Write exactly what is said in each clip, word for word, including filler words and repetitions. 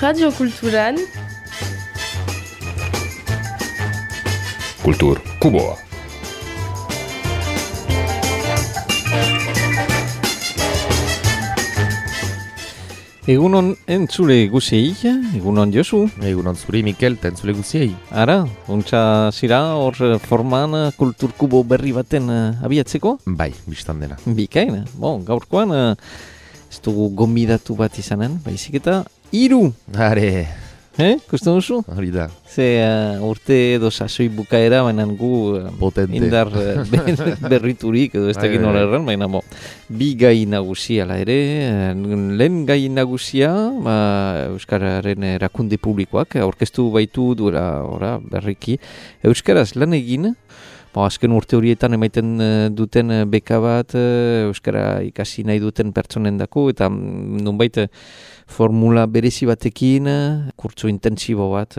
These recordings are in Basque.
Radio Kulturan Kultur Kuboa. Egunon entzule guziei, egunon Josu. Egunon zuri Mikel, eta entzule guziei. Ara, ontsa zira hor forman Kultur Kubo berri baten abiatzeko? Bai, biztan dena. Bikain, bon, gaurkoan ez dugu gomidatu bat izanen, baizik eta hiru. Are, Eh, kusten duzu? hori da. Ze uh, urte edo sasoi bukaera, baina gu uh, Potente. indar uh, berriturik, edo ez dakit Bai, nola bai. erran, baina bo, bi gai nagusia la ere, uh, lehen gai nagusia, ba, Euskararen erakunde publikoak, aurkeztu baitu duela ora, berriki, Euskaraz lan egin, ba, azken urte horietan emaiten uh, duten uh, beka bat, uh, Euskara ikasi nahi duten pertsonendako, eta mm, nonbait uh, formula berezi batekin, kurtso intensibo bat,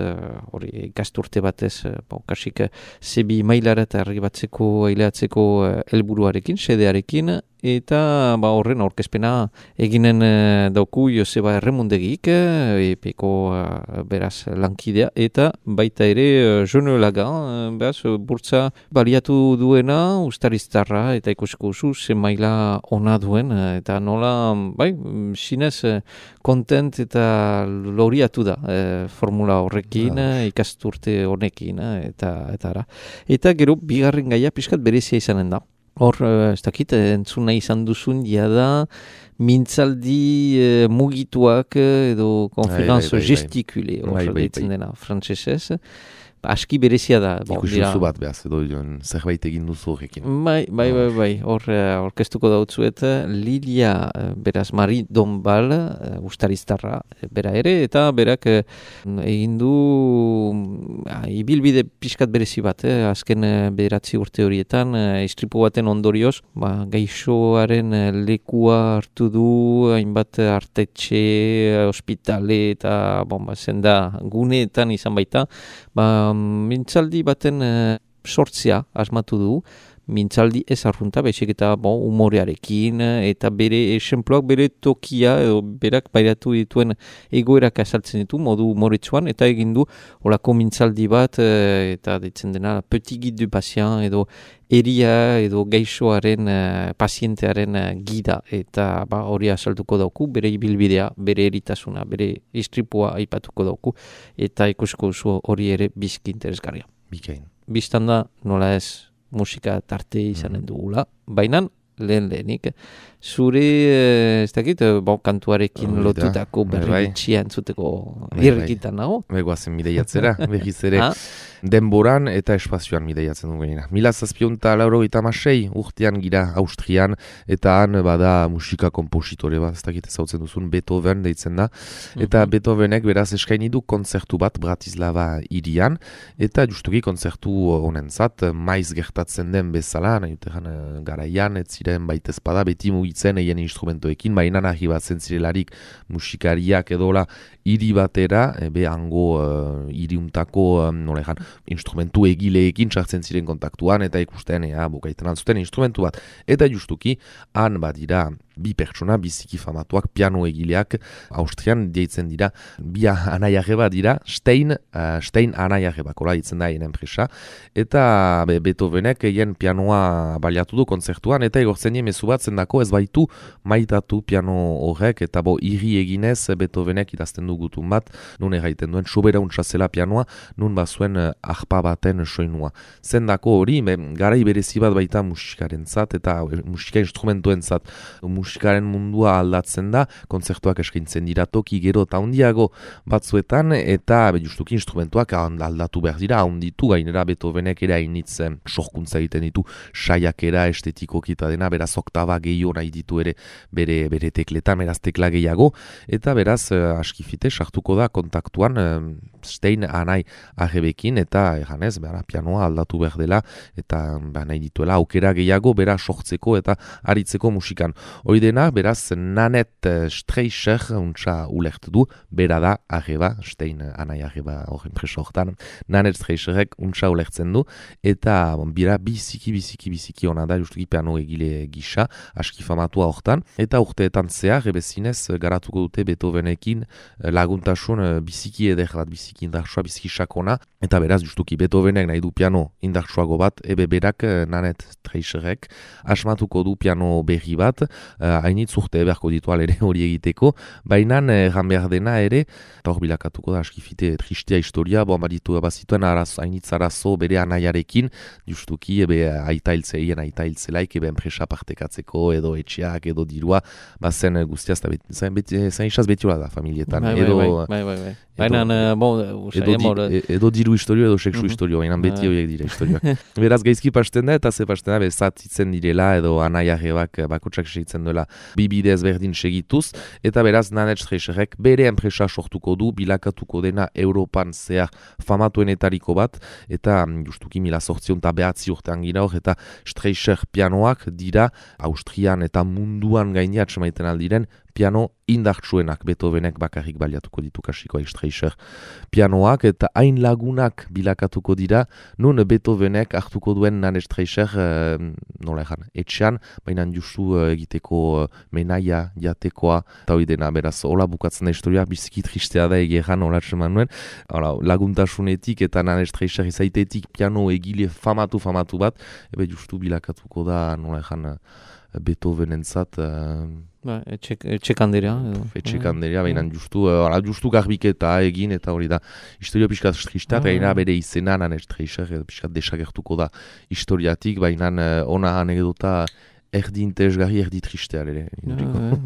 hori uh, ikasturte batez, uh, ba, kasik zebi mailara eta arribatzeko, aileatzeko uh, helburuarekin, sedearekin, eta ba, horren aurkezpena eginen uh, dauku Joseba Erremundegik, uh, epeko uh, beraz lankidea, eta baita ere uh, Jone Laga, uh, beraz, uh, burtsa baliatu duena, ustariztarra, eta ikusiko zu, ze maila ona duen, uh, eta nola, bai, sinez, uh, kontent eta loriatu da uh, formula horrekin, uh, ikasturte honekin, uh, eta, eta ara. Eta gero, bigarren gaia pixkat berezia izanen da. Hor, ez dakit, entzuna izan duzun, jada, mintzaldi eh, mugituak edo konferanzo bai, bai, bai. gestikule, hor Bai, bai, deitzen bai. dena, frantsesez. Aski berezia da. Bon, Ikusi dira- duzu bat behaz, edo joan, zerbait egin duzu horrekin. Bai, bai, bai, bai, hor eh, orkestuko dautzuet, Lilia, eh, beraz, Mari Donbal, uh, ustariztarra, eh, bera ere, eta berak eh, egin du ah, ibilbide pixkat berezi bat, eh, azken eh, bederatzi urte horietan, eh, istripu baten ondorioz, ba, gaixoaren eh, lekua hartu du, hainbat artetxe, eh, ospitale, eta bon, ba, zenda guneetan izan baita, ba, mintzaldi baten eh, sortzea asmatu du, mintzaldi ez arrunta, baizik eta bon, umorearekin, eh, eta bere esenploak, bere tokia, edo berak bairatu dituen egoerak azaltzen ditu, modu umoretsuan, eta egin du olako mintzaldi bat, eh, eta ditzen dena petit guide du patient, edo eria edo gaixoaren, eh, pazientearen eh, gida, eta ba, hori azalduko dauku, bere ibilbidea, bere eritasuna, bere istripua aipatuko dauku, eta ikusiko zu hori ere bizki interesgarria. Bikain. Bistan da, nola ez, musika tarte izanen dugula, baina lehen lehenik, zure, eh, ez dakit, eh, bon, kantuarekin Hori da, lotutako bai, bai. berritxia entzuteko Bai, bai. irrikitan nago. Begoazen mideiatzera, berriz ere Ah. denboran eta espazioan mideiatzen dugu gainera. Mila zazpionta lauro eta masei urtean gira Austrian, eta han bada musika kompositore bat, ez dakit ezautzen duzun, Beethoven deitzen da, eta Mhm. Beethovenek beraz eskaini du kontzertu bat Bratislava hirian, eta justuki kontzertu honentzat maiz gertatzen den bezala, nahi utean eh, garaian, ez ziren baitezpada beti mugitzen eien instrumentoekin, baina nahi bat zentzirelarik musikariak edola hiri batera, e, be hango uh, hiriuntako, um, nola egan, instrumentu egileekin sartzen ziren kontaktuan, eta ikusten, ea, bukaiten altzuten instrumentu bat. Eta justuki, han badira bi pertsona, biziki famatuak, piano egileak, Austrian deitzen dira, bi anaiarreba dira, Stein, uh, Stein anaiarreba, kola ditzen da hien enpresa, eta be, Beethovenek hien pianoa baliatu du kontzertuan, eta egortzen nien mezu bat zendako ez baitu maitatu piano horrek, eta bo irri eginez Beethovenek idazten du gutun bat, nun erraiten duen soberauntza zela pianoa, nun bazuen uh, arpa baten soinua. Zendako hori, be, garai berezi bat baita musikaren zat, eta uh, musika instrumentuen zat, musikaren mundua aldatzen da, kontzertuak eskaintzen dira toki gero eta handiago batzuetan, eta be, justuki instrumentuak aldatu behar dira, handitu gainera Beethovenek ere hainitz eh, sorkuntza egiten ditu, saiakera estetikoki eta dena, beraz oktaba gehiago nahi ditu ere bere, bere tekletan, beraz tekla gehiago, eta beraz eh, askifite sartuko da kontaktuan eh, Stein anai arrebekin, eta eganez, bera, pianoa aldatu behar dela, eta ba, nahi dituela aukera gehiago bera sortzeko eta aritzeko musikan. Hoidena, beraz, Nanet Streicher untsa ulertu du, bera da, arreba, Stein anai arreba horren preso hortan, Nanet Streicherek untsa ulertzen du, eta bon, bira biziki, biziki, biziki hona da, justuki piano egile gisa, aski famatua hortan, eta urteetan zehar, ebezinez, garatuko dute Beethovenekin laguntasun biziki eder bat, biziki indartsua, biziki sakona, eta beraz, justuki Beethovenek nahi du piano indartsuago bat, ebe berak Nanet Streicherek asmatuko du piano berri bat, hainitz uh, urte beharko ditual ere hori egiteko, baina erran behar dena ere, eta hor bilakatuko da, askifite tristea historia, bon, baditu bazituen arazo, hainitz arazo bere anaiarekin, justuki, ebe aita hiltzeien, aita hiltzelaik, ebe enpresa partekatzeko, edo etxeak, edo dirua, bazen guztiaz, zain isaz betiola da, familietan. Bai, edo, bai, bai, bai, bai. Baina, bon, edo, di, edo diru historio, edo seksu historio, baina beti horiek dira historioak. Beraz, gaizki pasten da, eta ze pasten da, bezatitzen direla, edo anaiarrebak bakotsak segitzen duela bibidez berdin segituz, eta beraz Nanet Streicherek bere enpresa sortuko du, bilakatuko dena Europan zehar famatuenetariko bat, eta justuki mila sortzion eta behatzi urtean gira hor, eta Streicher pianoak dira Austrian eta munduan gainia atsemaiten aldiren piano indartsuenak, Beethovenek bakarrik baliatuko ditu kasiko Streicher pianoak, eta hain lagunak bilakatuko dira, nun Beethovenek hartuko duen Nanet Streicher, eh, nola egan, etxean, baina justu uh, egiteko uh, menaia, jatekoa, eta hori dena, beraz, hola bukatzen da historia, biziki tristea da egeran, hola txeman nuen, hola, laguntasunetik eta Nanet Streicher izaitetik piano egile famatu, famatu bat, ebe justu bilakatuko da, nola egan, Beethovenentzat, uh, Ba, etxekanderea. Etxekanderea, baina justu, uh, justu garbiketa egin, eta hori da, historia pixkat tristea, eta gaina bere izena, Nanet Streicher, pixkat desagertuko da historiatik, baina uh, ona anekdota erdi interesgarri, erdi tristea ere.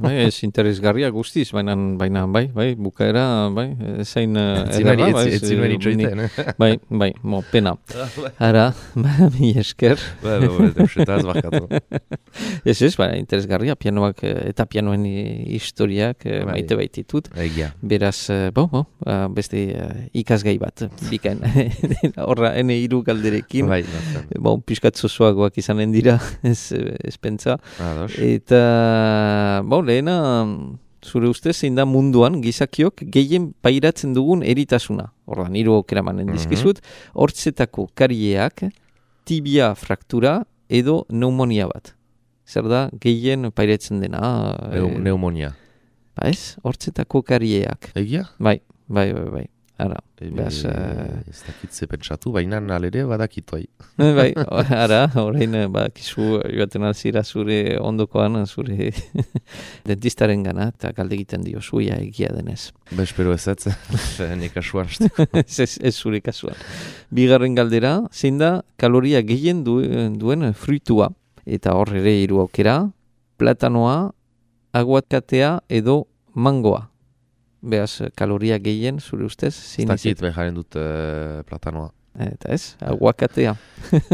Bai, ez interesgarria guztiz, baina, baina, bai, bai, bukaera, bai, zain ederra, bai. Ez zinuen itxoiten, eh? Bai, bai, mo, pena. Ara, ba, mi esker. Ba, ba, ba, deusetaz barkatu. Ez ez, bai, interesgarria, pianoak eta pianoen historiak maite baititut. Egia. Beraz, bo, bo, beste ikasgai bat, bikain. Horra, ene hiru galderekin. Bai, bon, piskat zozoagoak izanen dira, ez, ez Ados. Eta, bon, lehena, zure ustez, zein da munduan gizakiok gehien pairatzen dugun eritasuna. Ordan, hiru aukera manen dizkizut, hortzetako karieak, tibia fraktura edo pneumonia bat. Zer da, gehien pairatzen dena? E, pneumonia. Ba ez, hortzetako karieak. Egia? Bai, bai, bai, bai. Ara, e, behaz... Uh... Ez dakitze pentsatu, baina alere badakitu hai. Bai, ara, horrein badakizu joaten alzira zure ondokoan, zure dentistaren gana, eta galde egiten dio zuia egia denez. Ba, espero ez ez, nik kasuan. ez, ez zure kasuan. Bigarren galdera, zein da kaloria gehien duen, duen fruitua, eta hor ere hiru aukera, platanoa, aguakatea edo mangoa. Beaz, kaloria gehien, zure ustez? Ez dakit beharen dut uh, platanoa. Eta ez, aguakatea.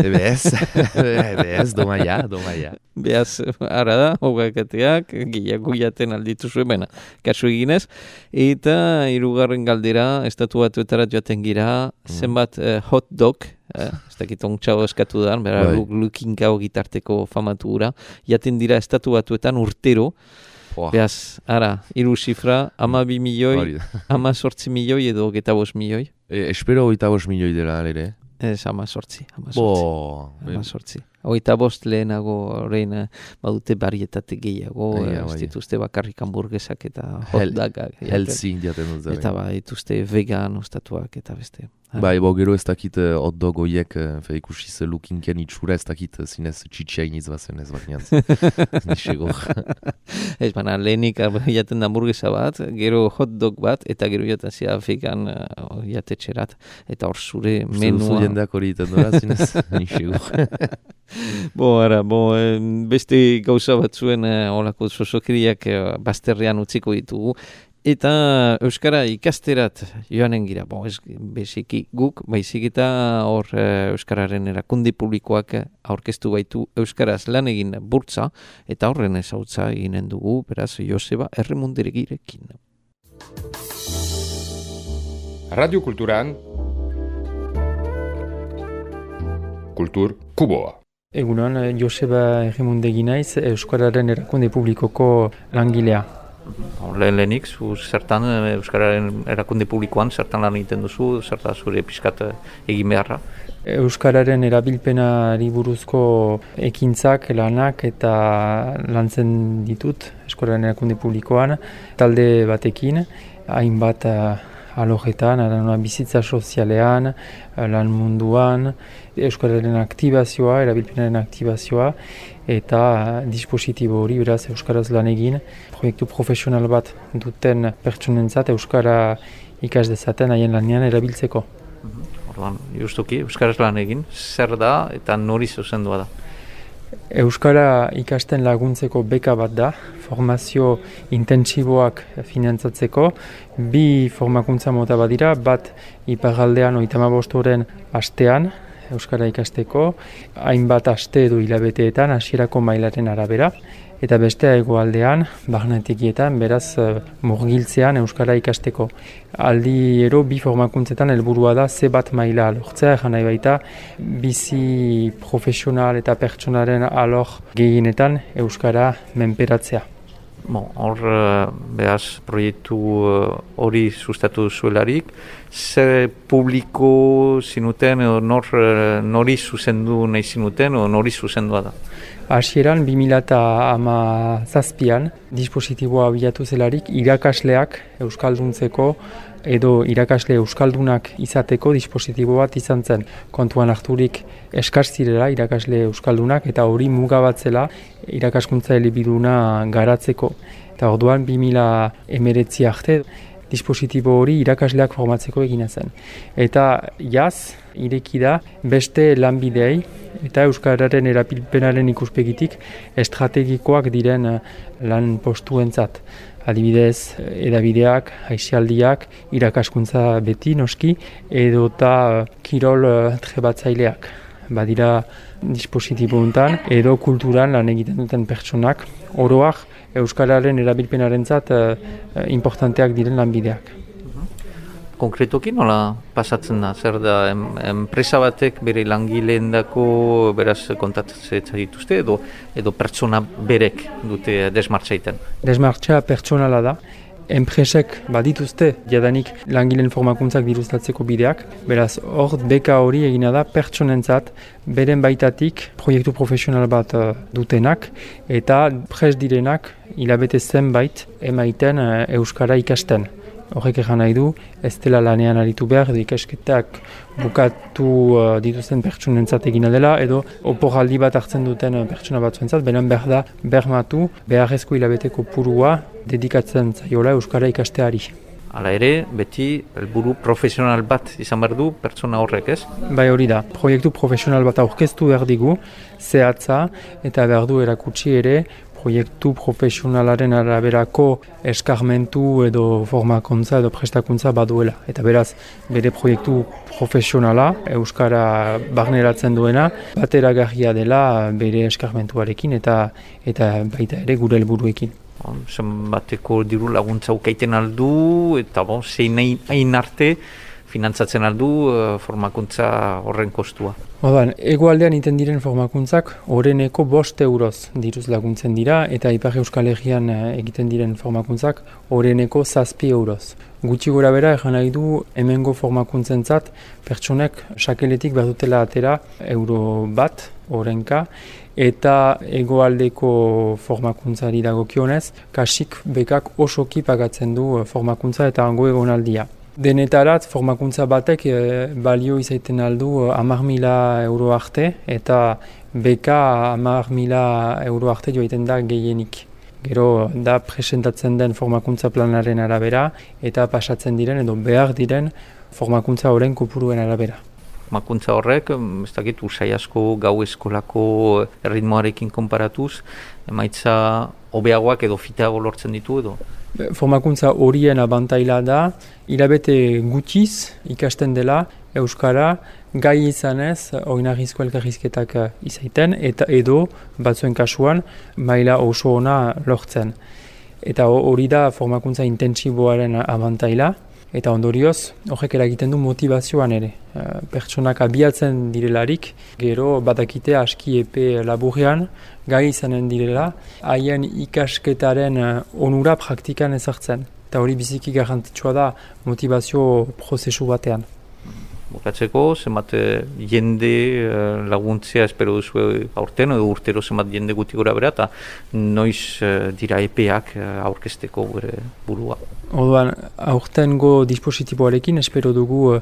Ebe ez, ebe ez, domaia, domaia. Beaz, ara da, aguakateak, gehiago jaten alditu zuen, baina, kasu eginez. Eta, hirugarren galdera, estatu batuetarat joaten gira, mm. zenbat uh, hot dog, eh, ez dakit ontsago eskatu da, bera, lukinkao gitarteko famatu gura, jaten dira estatu batuetan urtero. Wow. Beaz, ara, hiru zifra, ama bi milioi, ama sortzi milioi edo geta bost milioi. E, espero oita bost milioi dela, ere? Ez, ama sortzi, ama sortzi. Bo, ama sortzi. Oita bost lehenago, horrein, badute barietate gehiago, ez dituzte bakarrik hamburguesak eta hotdagak. Healthy diaten dut. Eta ba, dituzte vegan ostatuak eta beste. Bai, bo, gero ez dakit hot dog oiek, fe ikusiz lukinken itxura, ez dakit zinez txitxainiz bazen ez bat niantz. Nixegor. Ez baina, lehenik jaten da hamburguesa bat, gero hot dog bat, eta gero jaten zia vegan uh, jatetxerat. Eta hor zure menua... Uste duzu jendeak hori iten dora zinez, nixegor. Bo, ara, bo, beste gauza batzuen eh, olako sosokiriak eh, bazterrean utziko ditugu. Eta euskara ikasterat joanen gira, bo, ez beziki guk, baizik eta hor eh, euskararen erakundi publikoak aurkeztu baitu euskaraz lan egin burtza, eta horren ezautza eginen dugu, beraz, Joseba Erremunderegirekin. Radio Kulturan Kultur Kuboa. Egunon, Joseba Errimundegi naiz, Euskararen erakunde publikoko langilea. Lehen lehenik, zu zertan Euskararen erakunde publikoan, zertan lan egiten duzu, zertan zure pixkat egin beharra? Euskararen erabilpenari buruzko ekintzak, lanak eta lantzen ditut Euskararen erakunde publikoan, talde batekin, hainbat alojetan, bizitza sozialean, lan munduan, Euskararen aktibazioa, erabilpenaren aktibazioa, eta dispositibo hori, beraz, Euskaraz lan egin, proiektu profesional bat duten pertsonentzat Euskara ikas dezaten haien lanean erabiltzeko. Orduan, justuki, Euskaraz lan egin, zer da eta nori zuzendua da? Euskara ikasten laguntzeko beka bat da, formazio intentsiboak finantzatzeko, bi formakuntza mota bat dira, bat iparraldean hogeita hamabost oren astean, Euskara ikasteko, hainbat aste edo hilabeteetan hasierako mailaren arabera, eta bestea hegoaldean, barnetegietan, beraz murgiltzean Euskara ikasteko. Aldiero bi formakuntzetan helburua da ze bat maila lortzea, egan nahi baita bizi profesional eta pertsonaren alor gehienetan Euskara menperatzea. Bon, hor, behaz, proiektu hori sustatu zuelarik, zer publiko zinuten, edo nor, nori zuzendu nahi zinuten, edo nori zuzendua da? Hasieran, bi mila hamazazpian, dispositiboa bilatu zelarik, irakasleak euskalduntzeko edo irakasle euskaldunak izateko dispositibo bat izan zen. Kontuan harturik eskaz zirela irakasle euskaldunak eta hori mugabatzela irakaskuntza elebiduna garatzeko. Eta orduan bi mila hemeretzi arte dispositibo hori irakasleak formatzeko egina zen. Eta jaz, ireki da beste lanbideei eta Euskararen erabilpenaren ikuspegitik estrategikoak diren lan postuentzat. Adibidez, edabideak, aisialdiak, irakaskuntza beti noski, edota kirol trebatzaileak. Badira dispositibo hontan, edo kulturan lan egiten duten pertsonak, oroak Euskararen erabilpenarentzat uh, importanteak diren lanbideak. Konkretoki nola pasatzen da? Zer da, em, enpresa batek bere langileendako beraz kontatzen dituzte edo, edo pertsona berek dute desmartzaiten? Desmartza pertsonala da. Enpresek badituzte jadanik langileen formakuntzak diruztatzeko bideak, beraz hor beka hori egina da pertsonentzat beren baitatik proiektu profesional bat uh, dutenak eta prest direnak hilabete zenbait emaiten uh, Euskara ikasten. Horrek egan nahi du, ez dela lanean aritu behar, edo ikasketak bukatu uh, dituzten pertsonentzat egina dela, edo oporaldi bat hartzen duten uh, pertsona batzuentzat, beren behar da bermatu beharrezko hilabeteko purua dedikatzen zaiola Euskara ikasteari. Hala ere, beti helburu profesional bat izan behar du pertsona horrek, ez? Bai hori da, proiektu profesional bat aurkeztu behar digu, zehatza eta behar du erakutsi ere, proiektu profesionalaren araberako eskarmentu edo formakuntza edo prestakuntza baduela. Eta beraz, bere proiektu profesionala, Euskara barneratzen duena, bateragarria dela bere eskarmentuarekin eta eta baita ere gure helburuekin. Zenbateko diru laguntza ukaiten aldu eta bon, zein hain arte finantzatzen aldu uh, formakuntza horren kostua. Odan, hegoaldean iten diren formakuntzak oreneko bost euroz diruz laguntzen dira eta Ipar Euskal Herrian egiten diren formakuntzak oreneko zazpi euroz. Gutxi gora bera egan nahi du hemengo formakuntzentzat pertsonek sakeletik behar dutela atera euro bat orenka eta hegoaldeko formakuntzari dagokionez kasik bekak osoki pagatzen du formakuntza eta hango egonaldia. Denetarat, formakuntza batek e, balio izaiten aldu hamar mila euro arte eta beka hamar mila euro arte joaiten da gehienik. Gero da presentatzen den formakuntza planaren arabera eta pasatzen diren edo behar diren formakuntza horren kopuruen arabera. Formakuntza horrek, ez dakit, usai asko gau eskolako erritmoarekin konparatuz, emaitza hobeagoak edo fiteago lortzen ditu edo? Formakuntza horien abantaila da, hilabete gutxiz ikasten dela Euskara gai izanez oinarrizko elkarrizketak izaiten eta edo batzuen kasuan maila oso ona lortzen. Eta hori da formakuntza intentsiboaren abantaila. eta ondorioz horrek eragiten du motivazioan ere. Uh, pertsonak abiatzen direlarik, gero badakite aski epe laburrean, gai izanen direla, haien ikasketaren uh, onura praktikan ezartzen. Eta hori biziki garrantzitsua da motivazio prozesu batean. Bukatzeko, zenbat jende laguntzea espero duzu aurten, edo urtero zenbat jende guti gora bera, eta noiz dira epeak aurkezteko gure burua. Orduan, aurtengo dispositiboarekin espero dugu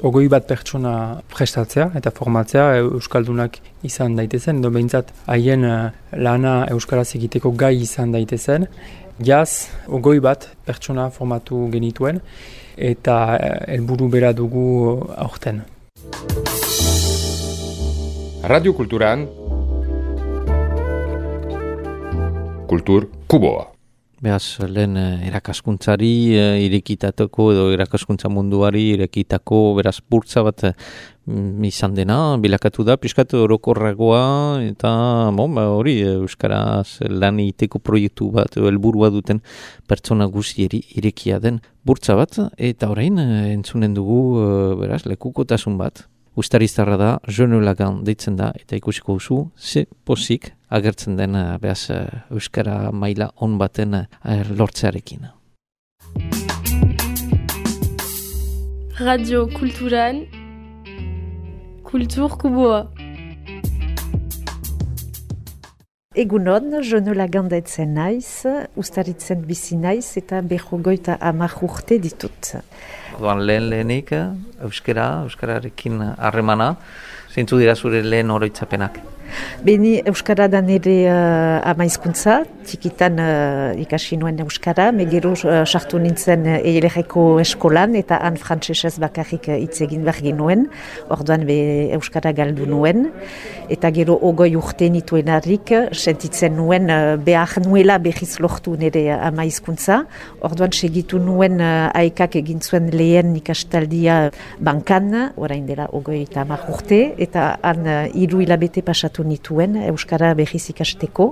ogoi bat pertsona prestatzea eta formatzea euskaldunak izan daitezen, edo behintzat haien lana euskaraz egiteko gai izan daitezen. Jaz, ogoi bat pertsona formatu genituen, eta helburu bera dugu aurten. Radio Kulturan Kultur Kuboa. Beaz, lehen erakaskuntzari irekitateko edo erakaskuntza munduari irekitako beraz burtsa bat izan dena, bilakatu da, pixkat orokorragoa eta bon, ba, hori euskaraz lan egiteko proiektu bat helburua duten pertsona guztieri irekia den burtsa bat, eta orain entzunen dugu beraz lekukotasun bat. Ustariztarra da, Jeune Lagan deitzen da, eta ikusiko duzu, ze pozik agertzen den behaz euskara maila on baten lortzearekin. Radio Kulturan, Kultur Kuboa. Egunon, Jeune Lagan deitzen naiz, ustaritzen bizi naiz eta berrogeita hamar urte ditut. Orduan lehen lehenik, euskara, euskararekin harremana, zeintzu dira zure lehen oroitzapenak? Beni euskara da nire uh, ama hizkuntza, txikitan uh, ikasi nuen euskara, megero sartu uh, nintzen uh, eilerreko eskolan eta han frantsesez bakarrik hitz egin behar ginuen, orduan be euskara galdu nuen, eta gero ogoi urte nituenarik sentitzen nuen uh, behar nuela behiz lortu nire ama hizkuntza, orduan segitu nuen uh, aikak egin zuen lehen ikastaldia bankan, orain dela ogoi eta hamar urte, eta han uh, hiru hilabete pasatu nituen euskara behiz ikasteko,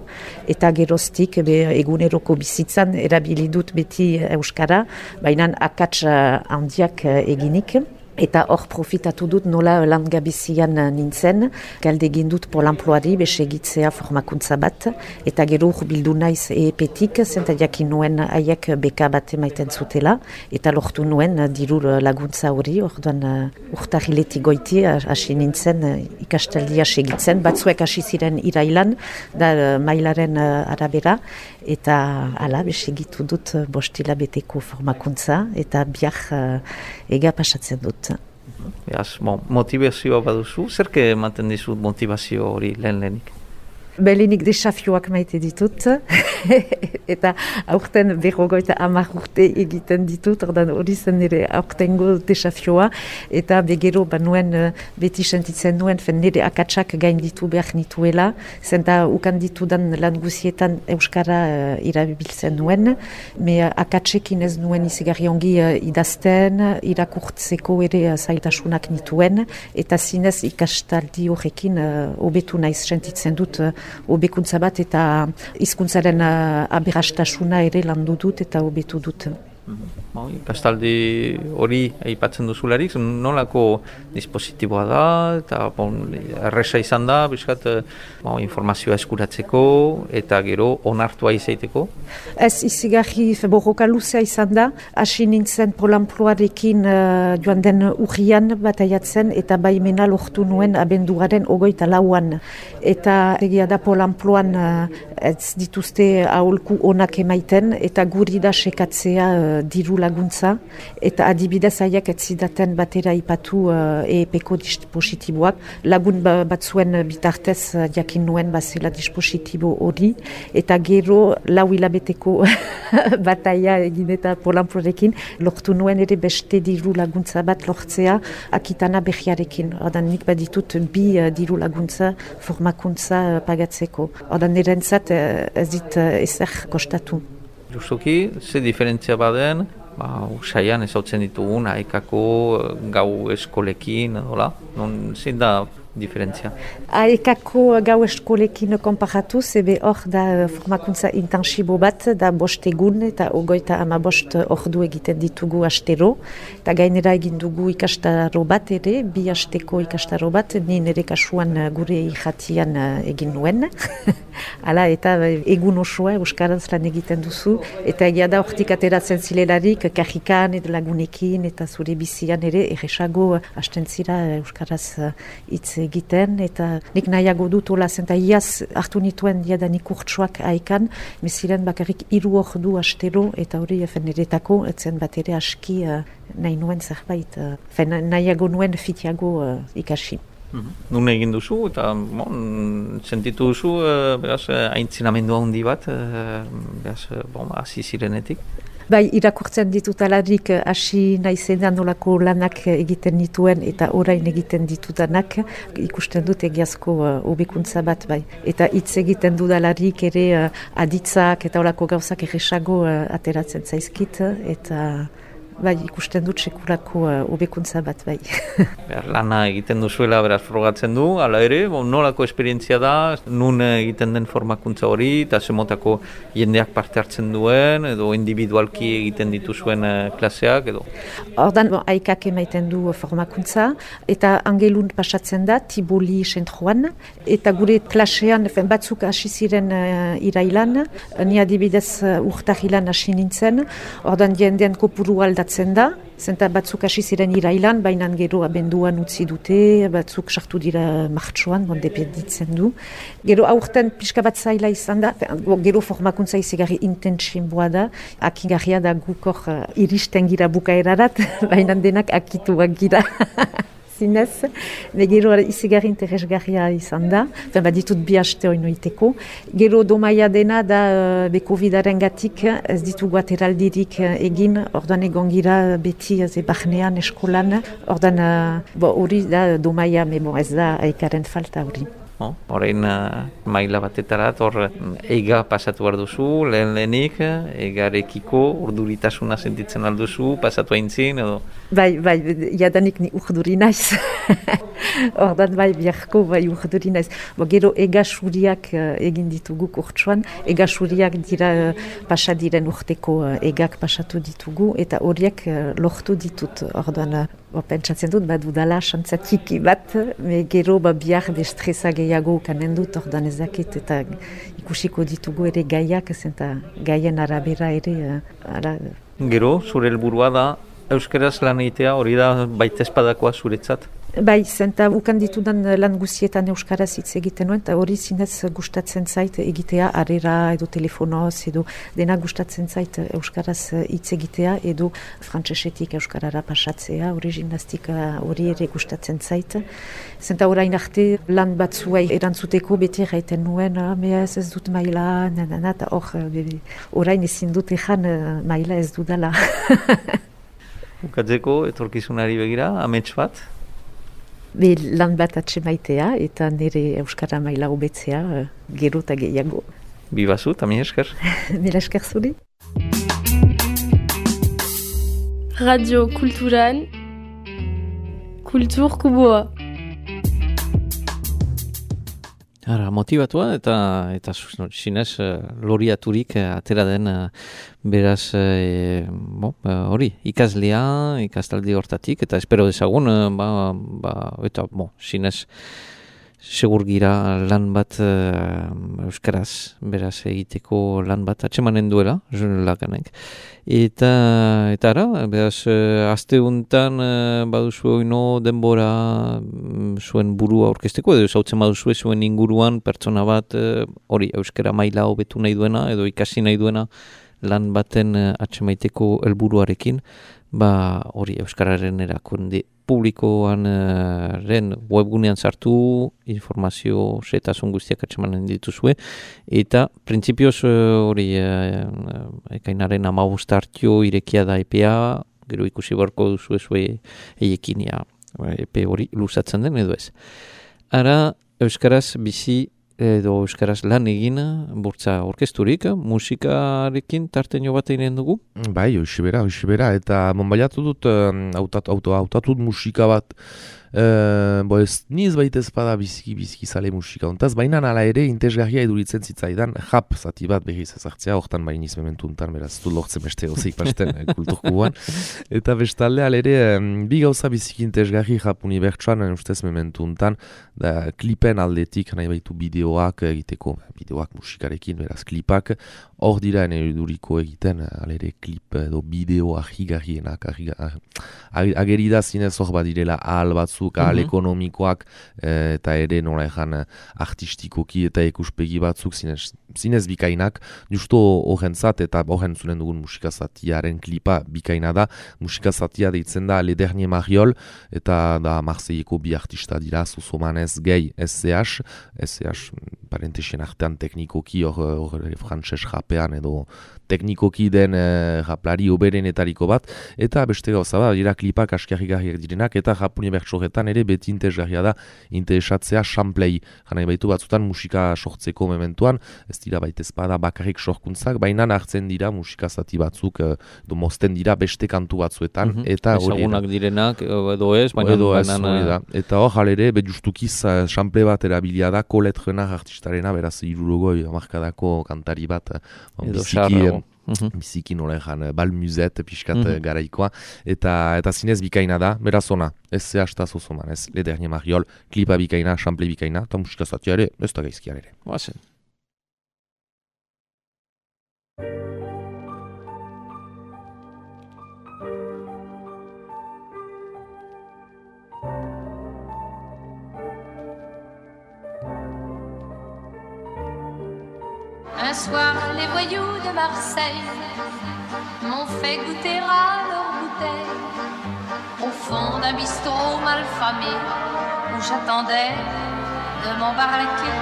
eta geroztik be, eguneroko bizitzan erabili dut beti euskara, baina akats handiak eginik. Eta hor profitatu dut nola langabezian nintzen, galde egin dut Pol Enploari besegitzea formakuntza bat, eta gero bildu naiz E E P-tik, zenta jakin nuen haiek beka bat emaiten zutela, eta lortu nuen diru laguntza hori, orduan urtarriletik goiti hasi nintzen ikastaldia segitzen, batzuek hasi ziren irailan, da mailaren arabera, eta hala besegitu dut bostila beteko formakuntza, eta biak ega pasatzen dut. Beaz, bon, motivazioa baduzu, zerke ematen dizut motivazio hori lehen lehenik? Belenik desafioak maite ditut, eta aurten berrogeita hamar urte egiten ditut, ordan hori zen nire aurtengo desafioa, eta begero banuen beti sentitzen nuen, fen nire akatsak gain ditu behar nituela, zenta ukan ditudan lan guzietan euskara uh, irabiltzen nuen, me akatsekin ez nuen izigarri ongi uh, idazten, irakurtzeko ere uh, zailtasunak nituen, eta zinez ikastaldi horrekin hobetu uh, naiz sentitzen dut uh, hobekuntza bat eta hizkuntzaren uh, aberastasuna ere landu dut eta hobetu dut. Mm-hmm. Ikastaldi hori aipatzen duzularik, nolako dispositiboa da, eta bon, erresa izan da, biskat, bon, informazioa eskuratzeko, eta gero onartua izaiteko? Ez izigarri borroka luzea izan da, hasi nintzen Pol Enploarekin uh, joan den urrian bataiatzen, eta baimena lortu nuen abenduaren ogoita lauan. Eta egia da Pol Enploan uh, ez dituzte aholku onak emaiten, eta guri da sekatzea uh, diru laguntza, eta adibidez haiek ez zidaten batera ipatu uh, E E P-ko dispositiboak, lagun batzuen bitartez uh, jakin nuen bazela dispositibo hori, eta gero lau hilabeteko bataia egin eta Pol Enploarekin lortu nuen ere beste diru laguntza bat lortzea Akitana berriarekin. Ordan nik baditut bi uh, diru laguntza formakuntza uh, pagatzeko. Ordan nirentzat uh, ez dit uh, ezer kostatu. Justuki, ze diferentzia baden, ba, usaian ezautzen ditugun, haikako gau eskolekin, hola, non zin da diferentzia? Aekako gau eskolekin konparatuz, ebe hor da formakuntza intensibo bat, da bost egun eta ogoita ama bost ordu egiten ditugu astero, eta gainera egin dugu ikastaro bat ere, bi asteko ikastaro bat, ni nire kasuan gure irratian egin nuen. Hala, eta egun osoa euskaraz lan egiten duzu, eta egia da hortik ateratzen zilelarik, kajikan edo lagunekin, eta zure bizian ere, erresago hasten zira euskaraz hitz egiten, eta nik nahiago dut hola zen, eta iaz hartu nituen diadanik urtsuak haikan, meziren bakarrik hiru ordu astero, eta hori niretako, etzen bat ere aski uh, nahi nuen zerbait, uh, fen, nahiago nuen fitiago uh, ikasi. Nun egin duzu, eta bon, sentitu duzu, uh, beraz, aintzinamendua handi bat, uh, beraz, bon, hasi zirenetik. Bai, irakurtzen ditutalarik hasi naizenean nolako lanak egiten dituen eta orain egiten ditudanak ikusten dut egiazko hobekuntza uh, bat, bai. Eta hitz egiten dudalarik ere uh, aditzak eta olako gauzak erresago uh, ateratzen zaizkit, eta bai, ikusten dut sekulako hobekuntza uh, bat, bai. Behar, lana egiten duzuela beraz frogatzen du, hala ere, bon, nolako esperientzia da, nun egiten den formakuntza hori, eta zemotako jendeak parte hartzen duen, edo individualki egiten dituzuen uh, klaseak, edo? Ordan, bon, aikak emaiten du formakuntza, eta angelun pasatzen da, Tiboli sentroan, eta gure klasean, fen, batzuk hasi ziren uh, irailan, ni adibidez uh, urtahilan hasi nintzen, ordan jendean kopuru aldatzen da, zenta batzuk hasi ziren irailan, baina gero abenduan utzi dute, batzuk sartu dira martxoan, bon, dependitzen du. Gero aurten pixka bat zaila izan da, gero formakuntza izigarri intensimboa da, akigarria da gukor uh, iristen gira bukaerarat, baina denak akituak gira. Zinez, gero izigarri interesgarria izan da, ba, ditut bi haste hori noiteko. Gero domaia dena da uh, be Covidaren gatik ez ditugu ateraldirik uh, egin, ordan egon gira beti uh, barnean eskolan, ordan hori uh, da domaia, me bon, ez da aikaren falta hori. Horein uh, maila batetarat, hor eiga pasatu behar duzu, lehen lehenik, egarekiko urduritasuna sentitzen alduzu, pasatu aintzin, edo? Bai, bai, jadanik ni urduri naiz. Ordan bai, biharko bai urduri naiz. Bo, gero egasuriak uh, egin ditugu kurtsuan, egasuriak dira uh, pasadiren urteko uh, egak pasatu ditugu, eta horiek uh, lortu ditut, ordan uh, pentsatzen dut, bat dudala xantzatiki bat, me gero ba, bihar destresa gehiago kanen dut, ordan ezakit, eta ikusiko ditugu ere gaiak, zenta gaien arabera ere. Uh, ara... Gero, zure helburua da, euskaraz lan egitea, hori da baita espadakoa zuretzat? Bai, zenta ukan ditudan lan guzietan euskaraz hitz egiten nuen, eta hori zinez gustatzen zait egitea, arera edo telefonoz, edo dena gustatzen zait euskaraz hitz egitea, edo frantsesetik euskarara pasatzea, hori gimnastika hori ere gustatzen zait. Zenta orain arte lan batzuei erantzuteko beti erraiten nuen, ah, ez ez dut maila, nanana, eta hor, orain ezin dut ezan maila ez dudala. Bukatzeko, etorkizunari begira, amets bat? Be, lan bat atsemaitea eta nire euskara maila hobetzea uh, gero eta gehiago. Bibazu, eta mi esker. Mila esker zuri. Radio Kulturan, Kultur Kuboa. Ara, motibatua eta eta no, sinez uh, loriaturik uh, atera den uh, beraz uh, bon, uh, hori ikaslea, ikastaldi hortatik eta espero dezagun uh, ba, ba, eta bon, sinez segur gira lan bat uh, euskaraz beraz egiteko lan bat atsemanen duela lakanek. Eta, eta ara, beraz, uh, aste untan uh, baduzu oino denbora um, zuen burua aurkezteko, edo zautzen baduzu zuen inguruan pertsona bat uh, hori euskara maila hobetu nahi duena, edo ikasi nahi duena lan baten uh, atsemaiteko helburuarekin, ba hori euskararen erakunde publikoan uh, ren webgunean sartu informazio setasun guztiak atsemanen dituzue eta printzipioz hori uh, uh, ekainaren hamabost hartio irekia da epea, gero ikusi beharko duzu ezue eiekinia epe hori luzatzen den edo ez. Ara euskaraz bizi edo euskaraz lan egin burtza orkesturik, musikarekin tarteño bat eginen dugu? Bai, hoxibera, hoxibera, eta monbaiatu dut autatu, auto, autatu musika bat Uh, bo ez niz baitez bada biziki biziki zale musika ontaz, baina nala ere intesgarria eduritzen zitzaidan jap zati bat behiz ezartzea, hortan bain niz mementu untan, beraz du lortzen beste gozeik pasten kulturkubuan. Eta bestalde alere, um, bi gauza biziki intesgarri jap unibertsuan, ustez mementu untan, da klipen aldetik, nahi baitu bideoak egiteko, bideoak musikarekin, beraz klipak, hor dira eduriko egiten, alere klip edo bideo ahigarrienak, agerida zinez hor badirela ahal batzuk, ahal mm-hmm. ekonomikoak, e, eta ere nola ezan artistikoki eta ikuspegi batzuk zinez, zinez bikainak, justo horrentzat eta horren zunen dugun musikazatiaren klipa bikaina da, musikazatia deitzen da Le Dernier Mariol, eta da Marseilleko bi artista dira, Zuzomanez, Gehi, S C H, S C H, parentesien artean teknikoki hor frantses rapean edo teknikoki den e, raplari oberenetariko bat, eta beste gauza bat, dira klipak askarrigarriak direnak, eta Japoni bertsoretan ere beti interesgarria da interesatzea samplei. Janai baitu batzutan musika sortzeko mementuan, ez dira baitez bada bakarrik sorkuntzak, baina hartzen dira musika zati batzuk, edo mozten dira beste kantu batzuetan, mm-hmm. eta hori ezagunak direnak, edo ez, baina edo ez, hori da. Eta hor halere, be justukiz sample bat erabilia da, Colette Renard artistarena, beraz irurogoi amarkadako kantari bat, edo biziki, Mm-hmm. biziki nola ezan, balmuzet, pixkat mm-hmm. garaikoa, eta eta zinez bikaina da, beraz ona, ez zehazta zozoman, ez Le Dernier Mariol, klipa bikaina, sample bikaina, eta musikazatia ere, ez da gaizkian ere. Bazen. Un soir, les voyous de Marseille m'ont fait goûter à leur bouteille au fond d'un bistrot mal famé où j'attendais de m'embarquer.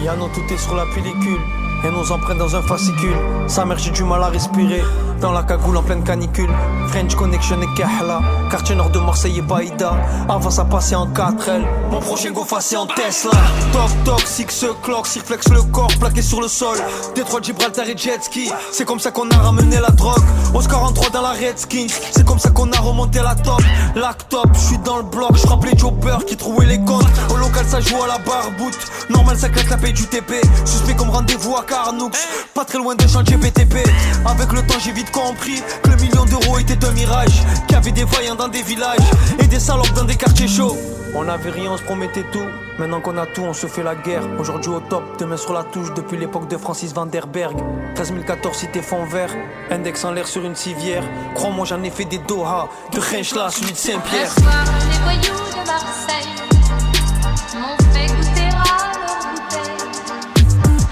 Yano, tout est sur la pellicule et nos empreintes dans un fascicule. Sa mère, j'ai du mal à respirer dans la cagoule en pleine canicule. French Connection et Kahla, quartier nord de Marseille et Baïda. Avant ça passait en quatre L, mon prochain go passé en Tesla. Toc toc, six clock, cirflex le corps plaqué sur le sol. Détroit de Gibraltar et jet ski, c'est comme ça qu'on a ramené la drogue. Oscar en trois dans la Redskins, c'est comme ça qu'on a remonté la top. Lactop, je suis dans le bloc, je rappelais Jobber qui trouvait les comptes. Au local ça joue à la barboute, normal ça claque la paye du T P. Suspect comme rendez-vous à Carnoux, pas très loin des chantiers B T P. Avec le temps j'ai vite compris que le million d'euros était un mirage, qu'il y avait des vaillants dans des villages et des salopes dans des quartiers chauds. On avait rien, on se promettait tout. Maintenant qu'on a tout, on se fait la guerre. Aujourd'hui au top, demain sur la touche. Depuis l'époque de Francis Van der Berg. treize mille quatorze, cité fond vert. Index en l'air sur une civière. Crois-moi, j'en ai fait des Doha. De Renchla, celui de Saint-Pierre. Un soir, les voyous de Marseille m'ont fait goûter à leur bouteille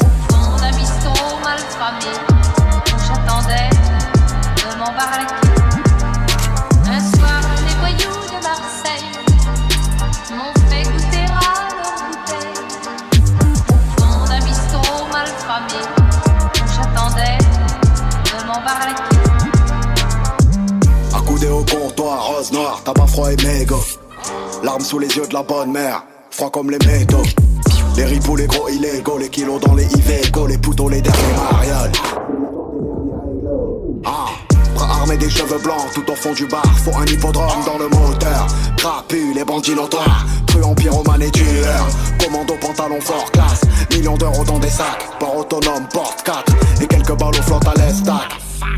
au fond d'un bistrot mal famé où j'attendais de m'embarquer. Un soir, les voyous de Marseille m'ont fait goûter à leur bouteille au fond d'un bistrot mal famé où j'attendais de m'embarquer. Accoudé au comptoir, rose noire, tabac froid et mégot. Larmes sous les yeux de la bonne mère, froid comme les métaux. Les ripoux, les gros illégaux, les kilos dans les Iveco, les poutons, les derniers marioles. Ah, bras armés des cheveux blancs, tout au fond du bar, faut un hippodrome dans le moteur. Crapus, les bandits notoires, truands, pyromanes et tueurs. Commando, pantalon fort classe, millions d'euros dans des sacs. Port autonome, porte quatre, et quelques balles aux flottes à l'estac.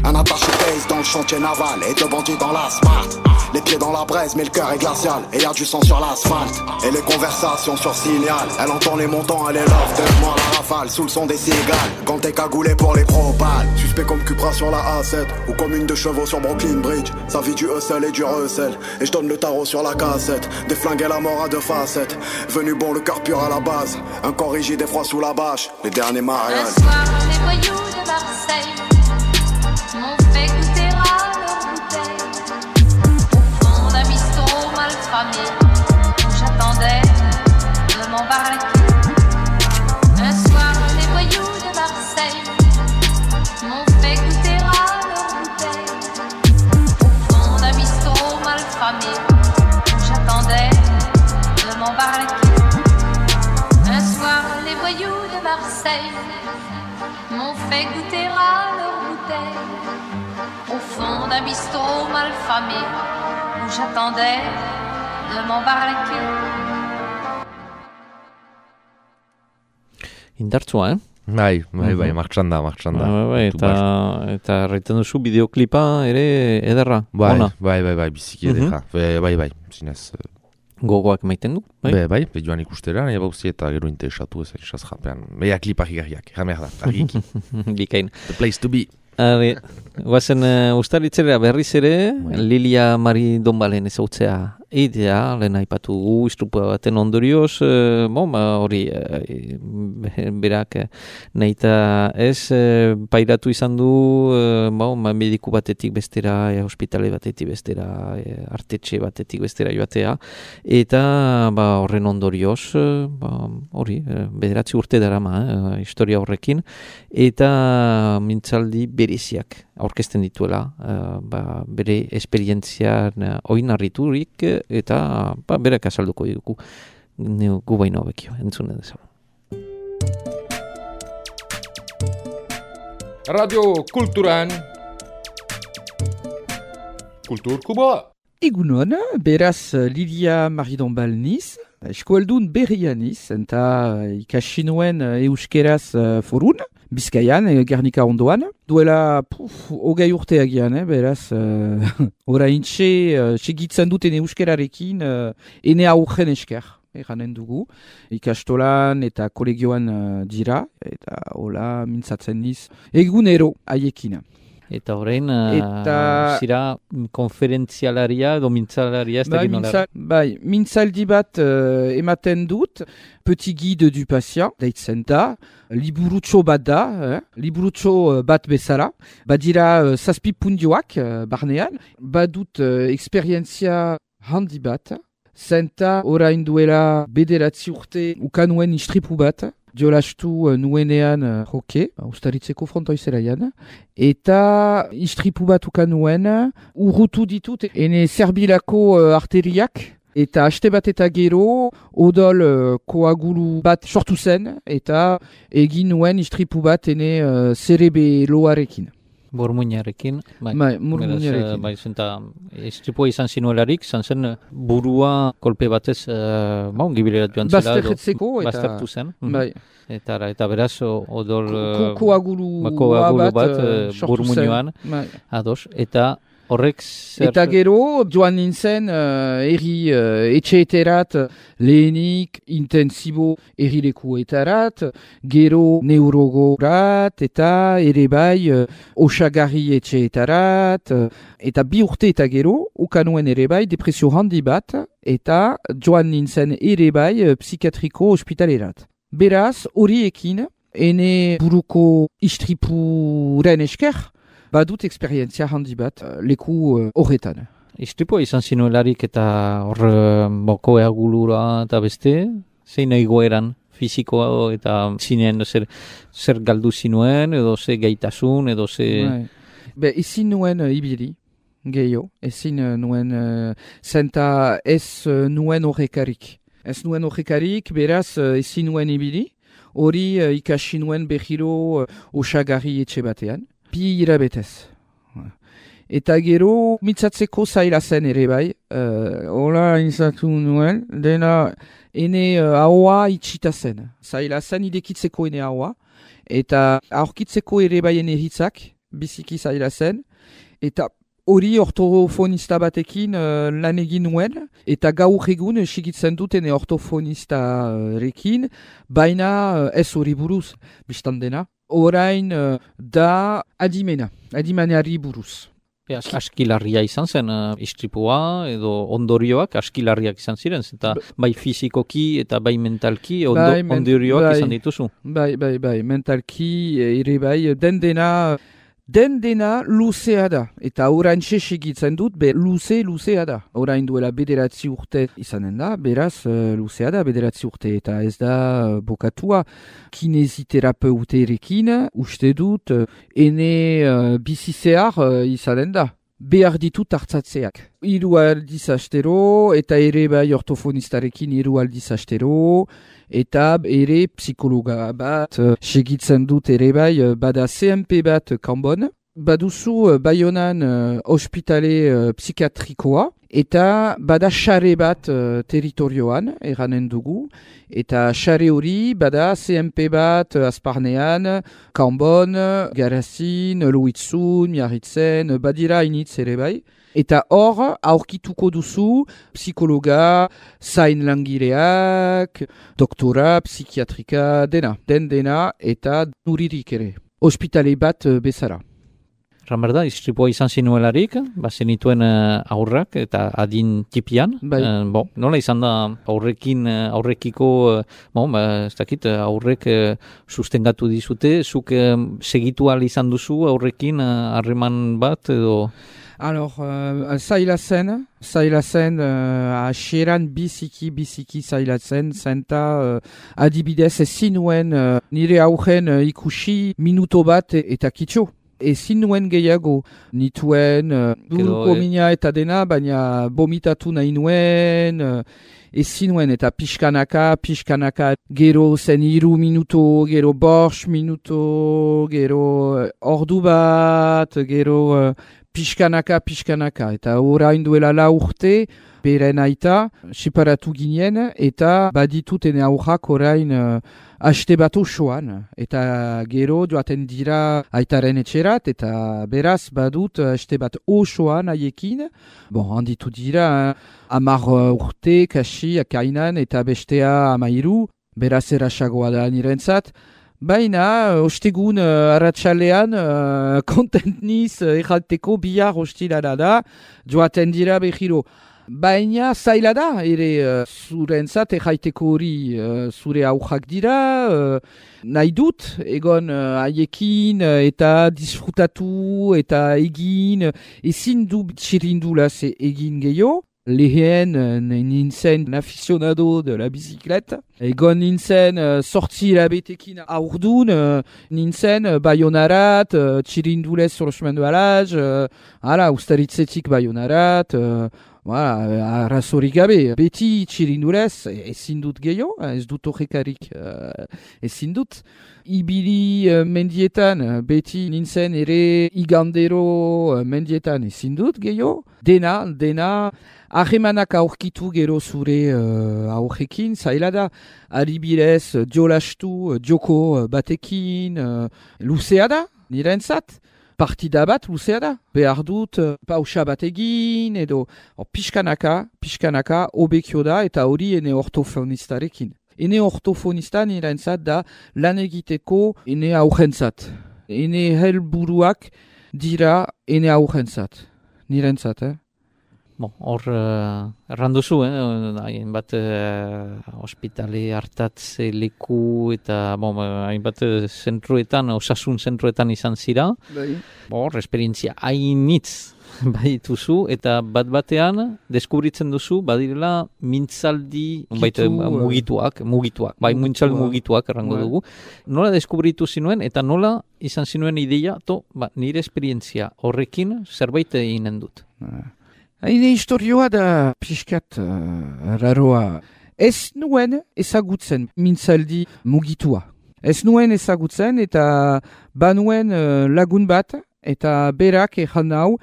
Un attaché case dans le chantier naval et deux bandits dans la smart. Les pieds dans la braise mais le cœur est glacial et y a du sang sur l'asphalte. Et les conversations sur signal, elle entend les montants, elle est love. Donne-moi la rafale sous le son des cigales. Quand t'es cagoulé pour les propales. Suspect comme Cupra sur la A sept ou comme une de chevaux sur Brooklyn Bridge. Ça vit du hustle et du recel. Et je donne le tarot sur la cassette. Des flingues et la mort à deux facettes. Venu bon le cœur pur à la base. Un corps rigide et froid sous la bâche. Les derniers mariages. Un soir les voyous de Marseille m'ont fait goûter à leur bouteille au fond d'un bistrot mal famé où j'attendais de m'embarquer. Un soir les voyous de Marseille m'ont fait goûter à leur bouteille au fond d'un bistrot mal famé où j'attendais de m'embarquer. Un soir les voyous de Marseille m'ont fait goûter à leur bouteille au fond d'un bistrot mal famé où où j'attendais de m'embarquer. Indartsua, eh? Bai, bai, bai, Mhm. martxan da, martxan da. Bai, bai, eta, eta erraiten duzu bideoklipa ere ederra, Bai, ona. bai, bai, bai, biziki edera. Be- Bai, bai, zinez. eh, Gogoak maiten du, bai? Be, bai, be joan ikustera, nahi bauzi eta gero interesatu ez egizaz japean. Beha klipa higarriak, jamer da, argiki. Bikain. The place to be. Ari, guazen uh, ustaritzera berriz ere, Lilia Mari Donbalen ezautzea idea, lehen aipatu gu, istrupua baten ondorioz, uh, bon, ba, hori, uh, berak uh, nahita ez, uh, pairatu izan du, uh, bon, ba, mediku batetik bestera, e, hospitale batetik bestera, e, artetxe batetik bestera joatea, eta ba, horren ondorioz, uh, ba, hori, uh, bederatzi urte darama, uh, historia horrekin, eta mintzaldi bereziak aurkezten dituela, uh, ba, bere esperientzian uh, oinarriturik eta ba, berak azalduko dugu gu baino hobekio, entzune dezagun. Radio Kulturan Kultur Kuboa. Egunon, beraz Lilia Maridonbal niz, eskoaldun berria niz, eta ikasi nuen euskeraz forun, Bizkaian, Gernika ondoan. Duela, puf, hogei urte agian, eh, beraz, uh, oraintxe, uh, segitzen duten euskerarekin, uh, ene aurren esker, eranen dugu. Ikastolan eta kolegioan uh, dira, eta hola mintzatzen niz, egunero haiekin. Eta horrein, eta... zira konferentzialaria edo mintzalaria ez da bai, ginola. Bai, mintzaldi bat uh, ematen dut, Petit guide du patient, deitzen da, liburutxo bat da, eh? liburutxo bat bezala, badira uh, zazpi pundioak uh, barnean, badut uh, eksperientzia handi bat, zenta orain duela bederatzi urte ukanuen istripu bat, jolastu nuenean uh, hoke, ustaritzeko frontoizeraian, eta istripu bat ukanuen, urrutu ditut, ene zerbilako uh, arteriak, eta haste bat eta gero, odol uh, koagulu bat sortu zen, eta egin nuen istripu bat ene uh, zerebeloarekin. Burmuinarekin, bai, bai, burmuinarekin. Bai, zenta, istripua izan zinuelarik, izan zen burua kolpe batez, uh, ba, ongibilerat joan zela. Bazterretzeko, eta... Baztertu zen. Bai. Eta, eta beraz, odol... Ko, koagulu, ba, koagulu bat, bat uh, burmuinoan, bai. Ados, eta... Horrek zer... Eta gero, joan nintzen, uh, erri uh, etxeeterat, lehenik, intensibo errilekuetarat, gero neurogorat, eta ere bai, uh, osagarri etxeetarat, uh, eta bi urte eta gero, ukanuen ere bai, depresio handi bat, eta joan nintzen ere bai, uh, psikiatriko ospitalerat. Beraz, horiekin, ene buruko istripuren esker, badut eksperientzia handi bat leku horretan. Uh, Istripua izan zinuelarik eta hor boko eagulura eta beste, zein egoeran fizikoa eta zinean zer, zer galdu zinuen edo ze gaitasun edo ze... Be, ezin nuen uh, ibili, gehiago, ezin uh, nuen uh, zenta ez uh, nuen horrekarik. Ez nuen horrekarik, beraz uh, ezin nuen ibili, hori uh, ikasi nuen behiro uh, osagarri etxe batean. Bi irabetez. Eta gero, mitzatzeko zaila zen ere bai. Uh, Ola inzatu nuen, dena ene uh, ahoa itxita zen. Zaila zen idekitzeko ene ahoa. Eta aurkitzeko ere bai ene hitzak, biziki zaila zen. Eta hori ortofonista batekin uh, lan egin nuen. Eta gaur egun sigitzen dut ene ortofonista rekin. Baina uh, ez hori buruz, biztan dena. Orain uh, da adimena, adimenari buruz. As, askilarria izan zen uh, istripua edo ondorioak askilarriak izan ziren, eta bai fizikoki eta bai mentalki ondo, bai, men, ondorioak bai, izan dituzu. Bai, bai, bai, mentalki ere bai, den dena, den dena luzea da. Eta orain segitzen dut, be luze, luzea da. Orain duela bederatzi urte izanen da, beraz uh, luzea da bederatzi urte. Eta ez da uh, bokatua kinesiterapeuterekin, uste dut, uh, ene uh, bizizehar uh, izanen da. Behar ditut hartzatzeak. Hiru aldiz astero, eta ere bai ortofonistarekin hiru aldiz astero, eta ere psikologa bat, uh, segitzen dut ere bai, uh, bada C M P bat kanbon. Baduzu uh, Baionan uh, ospitale uh, psikiatrikoa, Eta bada xare bat uh, territorioan, eranen dugu, eta xare hori bada C M P bat uh, Azparnean, Kanbon, Garazin, Luitzun, Miarritzen, badira initz ere bai. Eta hor, aurkituko duzu, psikologa, zain langileak, doktora, psikiatrika, dena, den dena, eta nuririk ere. Hospitale bat uh, bezala. Ramerda, istripua izan zinuelarik, bazenituen uh, aurrak eta adin tipian. Bai. Uh, bo, nola izan da aurrekin, uh, aurrekiko, uh, bon, ba, ez dakit, aurrek uh, sustengatu dizute, zuk uh, segitu ahal izan duzu aurrekin harreman uh, bat edo... Alors, uh, zaila zen, zaila zen, uh, asieran biziki, biziki zaila zen, zenta uh, adibidez ezin nuen uh, nire aurren uh, ikusi minuto bat eta kitxo. Ezin nuen gehiago, nituen uh, buruko eh. mina eta dena, baina bomitatu nahi nuen, uh, ezin nuen eta pixkanaka, pixkanaka, gero zen iru minuto, gero borx minuto, gero uh, ordu bat, gero uh, pixkanaka, pixkanaka, eta orain duela la urte, beren aita, separatu ginen, eta baditut ene aurrak orain uh, haste bat osoan, eta gero joaten dira aitaren etxerat, eta beraz badut haste bat osoan haiekin, bon, handitu dira, amar uh, urte, kasi, akainan, eta bestea amairu, beraz erasagoa da nirentzat, baina, ostegun uh, arratsalean, uh, kontent niz uh, errateko bihar ostilana da, joaten dira behiro. Baina zaila da, ere uh, zurentzat erraiteko hori uh, zure aurrak dira, uh, nahi dut, egon uh, haiekin uh, eta disfrutatu eta egin, ezin du txirindulaz egin gehiago. Lehen uh, nintzen aficionado de la bizikleta. Egon nintzen uh, sortzi labetekin aurdun, uh, nintzen uh, baionarat, uh, txirindulez sur le chemin de balaz, uh, ala, ustaritzetik baionarat, uh, voilà, arrazorik gabe, beti txirindulez, ezin dut gehiago, ez dut horrekarik, uh, ezin dut. Ibili uh, mendietan, beti nintzen ere igandero uh, mendietan ezin dut gehiago. Dena, dena, ahemanak aurkitu gero zure uh, aurrekin, zaila da, adibidez, jolastu, joko batekin, uh, luzea da, nirentzat. Partida bat luzea da, behar dut uh, pausa bat egin, edo or, pixkanaka, pixkanaka, obekio da, eta hori ene ortofonistarekin. Ene ortofonista nirentzat da lan egiteko ene aurrentzat. Ene helburuak dira ene aurrentzat. Nirentzat, eh? Bon, hor, uh, erranduzu, eh? hainbat uh, ospitale hartatze leku eta bon, hainbat uh, zentruetan, osasun zentruetan izan zira. Bai. Hor, esperientzia hainitz badituzu eta bat batean deskubritzen duzu badirela mintzaldi baita, mugituak, mugituak, bai mintzaldi mugituak errango bai. Dugu. Nola deskubritu zinuen eta nola izan zinuen ideia, to, ba, nire esperientzia horrekin zerbait eginen dut. Haine historioa da pixkat uh, raroa. Ez nuen ezagutzen mintzaldi mugitua. Ez nuen ezagutzen eta banuen uh, lagun bat eta berak ezan hau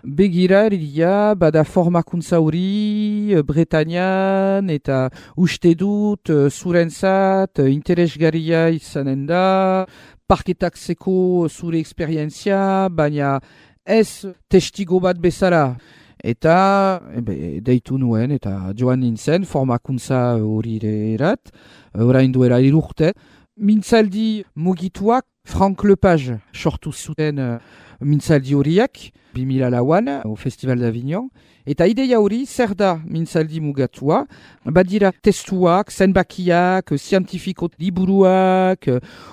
begira eria bada formakuntza hori uh, Bretañan eta uste dut uh, zurentzat uh, interesgarria izanen da, parketatzeko zure esperientzia, baina ez testigo bat bezala. Eta ebe, deitu nuen eta joan nintzen formakuntza hori erat, orain duela irurte. Mintzaldi mugituak Frank Lepage sortu zuten uh, mintzaldi horiak, bi mila lauan, au Festival d'Avignon. Eta ideia hori zer da mintzaldi mugatua, badira testuak, zenbakiak, zientifiko liburuak,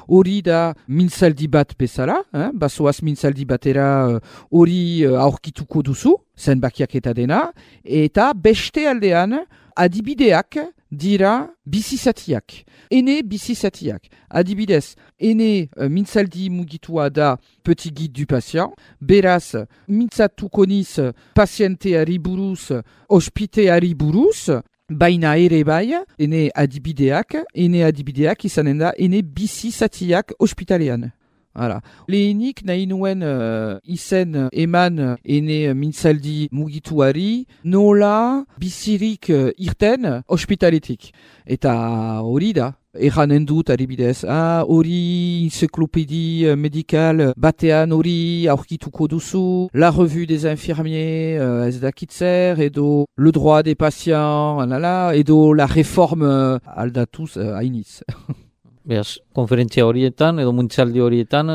hori da mintzaldi bat bezala, eh? Basoaz mintzaldi batera hori uh, aurkituko duzu, zenbakiak eta dena, eta beste aldean adibideak dira bizizatiak. Ene bizizatiak. Adibidez, ene uh, mintzaldi mugitua da petit guide du patient, beraz mintzatuko niz pazienteari buruz, ospiteari buruz, baina ere bai, ene adibideak, ene adibideak izanen da, ene bizizatiak ospitalean. Hala. Lehenik nahi nuen uh, izen eman ene mintzaldi mugituari nola bizirik uh, irten ospitaletik. Eta hori da. Eranen dut adibidez, ah, hori encyclopédie médicale batean hori aurkituko duzu, la revue des infirmiers uh, ez dakitzer, edo le droit des patients, alala, edo la réforme uh, aldatuz uh, hainitz. Beaz, konferentzia horietan edo mintzaldi horietan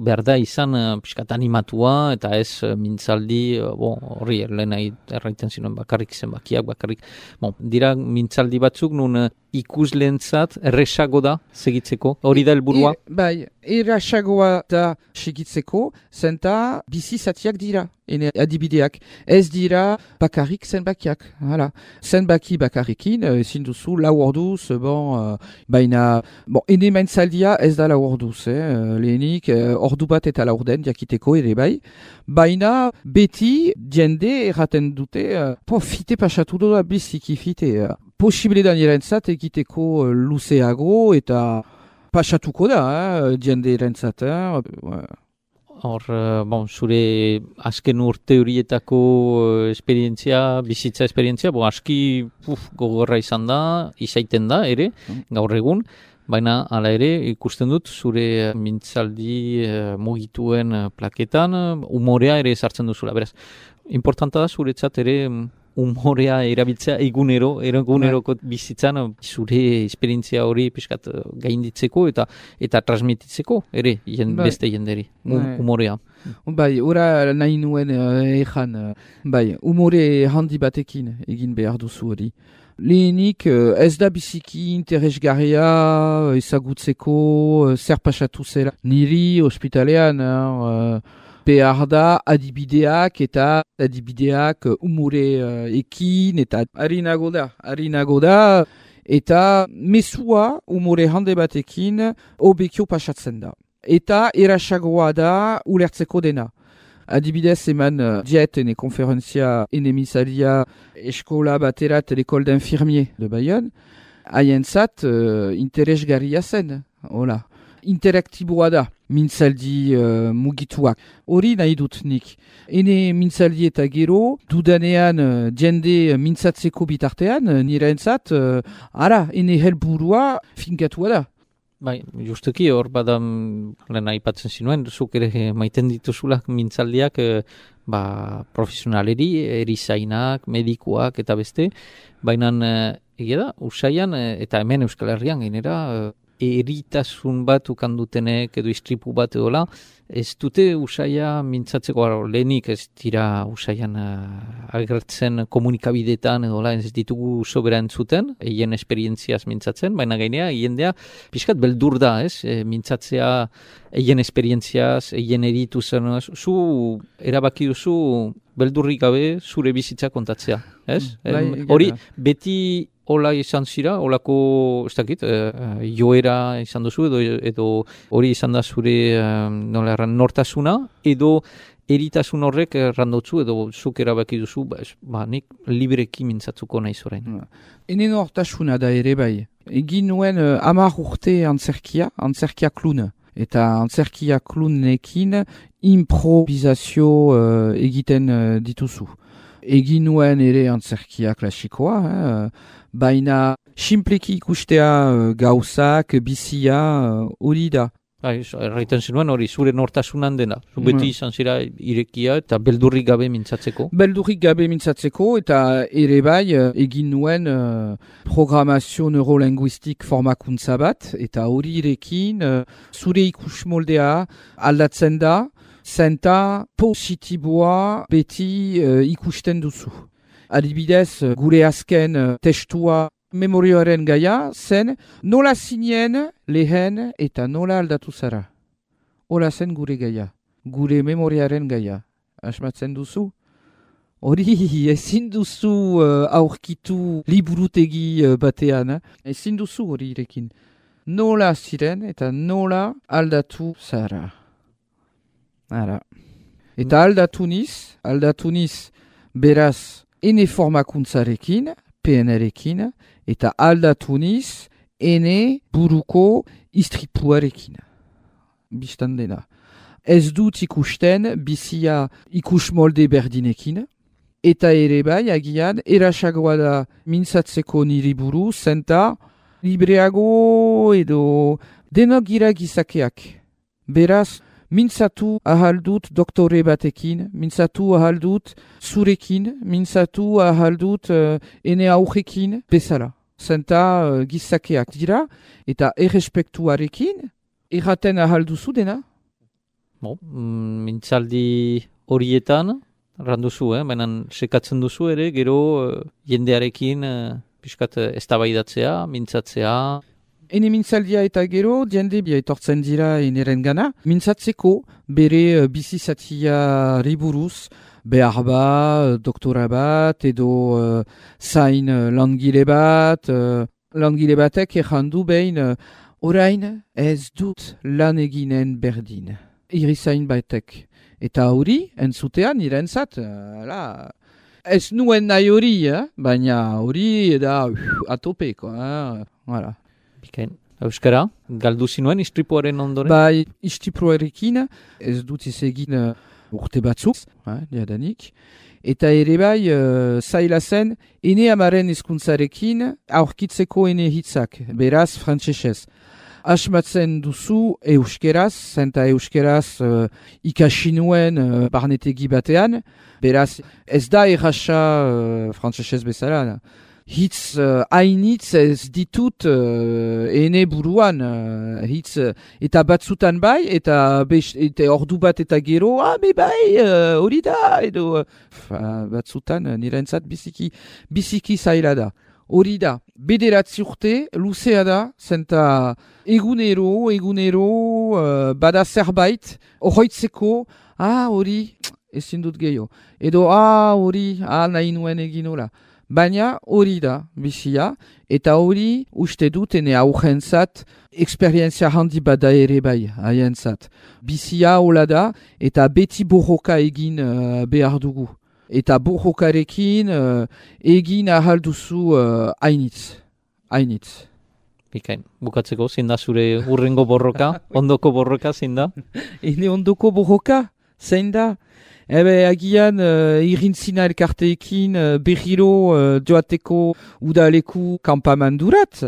behar da izan uh, pixkat animatua eta ez uh, mintzaldi uh, bon, horri lehen erraiten zinuen bakarrik zenbakiak, bakarrik. Bon, dira mintzaldi batzuk nun uh, ikusleentzat erresago da segitzeko, hori da helburua? E, bai, erresagoa da segitzeko, zenta bizi zatiak dira, ene adibideak. Ez dira bakarrik zenbakiak. Hala. Zenbaki bakarrikin, ezin duzu lau orduz, bon, uh, baina, bon, ene mintzaldia ez da lau orduz, eh, lehenik, uh, ordu bat eta laurden jakiteko ere bai, baina beti jende erraten dute, uh, po, fite pasatu doa biziki fite, uh, posible da nirentzat egiteko uh, luzeago eta pasatuko da, eh, jende erentzat. Eh? Hor, uh, bon, zure azken urte horietako uh, esperientzia, bizitza esperientzia, bo, aski uf, gogorra izan da, izaiten da ere, mm. gaur egun, baina hala ere ikusten dut zure mintzaldi uh, mugituen uh, plaketan, uh, umorea ere sartzen duzula. Beraz, importanta da zuretzat ere umorea erabiltzea egunero, eguneroko bizitzan zure esperientzia hori pixkat gainditzeko eta eta transmititzeko ere jen, beste jenderi, umorea. Bai, ora nahi nuen uh, ejan, uh, bai, umore handi batekin egin behar duzu hori. Lehenik uh, ez da biziki interesgarria ezagutzeko uh, zer pasatu zela. Niri ospitalean, uh, behar da adibideak eta adibideak umore uh, ekin eta harinago da, harinago da eta mesua umore hande batekin obekio pasatzen da. Eta erasagoa da ulertzeko dena. Adibidez eman uh, diet ene konferentzia enemizaria eskola baterat l'école d'infirmier de Bayonne, haientzat uh, interesgarria zen, hola. Interaktiboa da, mintzaldi uh, mugituak. Hori nahi dut nik. Ene mintzaldi eta gero, dudanean uh, jende mintzatzeko bitartean, uh, nire entzat, uh, ara, ene helburua finkatua da. Bai, justuki hor badan lehen aipatzen zinuen, zuk ere maiten dituzulak mintzaldiak eh, ba, profesionaleri, erizainak, medikuak eta beste, baina eh, egia da, usaian eh, eta hemen Euskal Herrian gainera eh, eritasun bat ukandutenek edo istripu bat edola, ez dute usaia mintzatzeko lehenik ez dira usaian uh, agertzen komunikabidetan edola, ez ditugu sobera entzuten, eien esperientziaz mintzatzen, baina gainea, jendea pixkat beldur da, ez? E, mintzatzea eien esperientziaz, eien eritu zen, zu erabaki duzu beldurrik gabe zure bizitza kontatzea, ez? Mm, hori beti hola izan zira, holako, ez dakit, uh, joera izan duzu, edo, edo hori izan da zure uh, nola erran, nortasuna, edo eritasun horrek errandotzu, edo zuk erabaki duzu, ba, ba, nik libreki mintzatzuko nahi zorain. Ene nortasuna da ere bai. Egin nuen uh, amar urte antzerkia, antzerkia klun. Eta antzerkia klunekin improvisazio uh, egiten uh, dituzu. Egin nuen ere antzerkia klasikoa, eh? Baina simpleki ikustea uh, gauzak, bizia, hori uh, da. Bai, erraiten zinuen hori zure nortasunan dena. Zu beti izan zira irekia eta beldurrik gabe mintzatzeko. Beldurrik gabe mintzatzeko eta ere bai egin nuen uh, programazio neurolinguistik formakuntza bat eta hori irekin uh, zure ikus moldea aldatzen da, zenta positiboa beti uh, ikusten duzu. Adibidez, gure azken uh, testua memorioaren gaia zen nola zinen lehen eta nola aldatu zara. Hola zen gure gaia, gure memoriaren gaia. Asmatzen duzu? Hori ezin duzu uh, aurkitu liburutegi uh, batean, eh? Ezin duzu hori irekin. Nola ziren eta nola aldatu zara. Ara. Eta aldatu niz, aldatu niz beraz ene formakuntzarekin, P N R-ekin, eta aldatu niz ene buruko istripuarekin. biztan dena. Ez dut ikusten bizia ikus molde berdinekin, eta ere bai, agian, erasagoa da mintzatzeko niri buru, zenta libreago edo denok gira gizakeak. Beraz, mintzatu ahaldut doktore batekin, mintzatu ahaldut zurekin, mintzatu ahaldut uh, ene aujekin bezala. Zenta uh, gizakeak dira, eta errespektuarekin, erraten ahalduzu dena? Bo, mm, mintzaldi horietan, randuzu, eh? Baina sekatzen duzu ere, gero uh, jendearekin uh, piskat uh, eztabaidatzea, mintzatzea. Ene mintzaldia eta gero, jende bia etortzen dira eneren gana, mintzatzeko bere uh, bizizatia riburuz, behar ba, doktora bat, edo uh, zain uh, langile bat, uh, langile batek errandu behin, uh, orain ez dut lan eginen berdin. Irizain batek. Eta hori, entzutean, nirentzat, uh, ez nuen nahi hori, eh? Baina hori da uh, atopeko. Eh? Voilà. Bikain. Euskara, galdu zinuen istripuaren ondoren? Bai, istripuarekin, ez dut izegin uh, urte batzuk, eh, diadanik. Eta ere bai, uh, zaila zen, ene amaren hizkuntzarekin aurkitzeko ene hitzak, beraz frantsesez. Asmatzen duzu euskeraz, zenta euskeraz uh, ikasi nuen uh, barnetegi batean, beraz ez da errasa uh, frantsesez bezala. Hitz uh, hainitz ez ditut uh, ene buruan, uh, hitz uh, eta batzutan bai, eta, best, eta ordu bat eta gero, ah, be bai, hori uh, da, edo uh, batzutan uh, nirentzat biziki, biziki zaila da. Hori da, bederatzi urte, luzea da, zenta egunero, egunero, uh, bada zerbait, horreitzeko, ah, hori, ezin dut gehiago. Edo, ah, hori, ah, nahi nuen egin hola. Baina hori da, bizia, eta hori uste dut ene augentzat, eksperientzia handi bada ere bai, haientzat. Bizia hola da, eta beti borroka egin uh, behar dugu. Eta borrokarekin uh, egin ahalduzu uh, hainitz. Hainitz. Bikain, bukatzeko, zein da zure urrengo borroka? Ondoko borroka, zein da? Ene ondoko borroka, zein da? Ebe, agian uh, irintzina elkarteekin uh, berriro uh, joateko udaleku kampamandurat.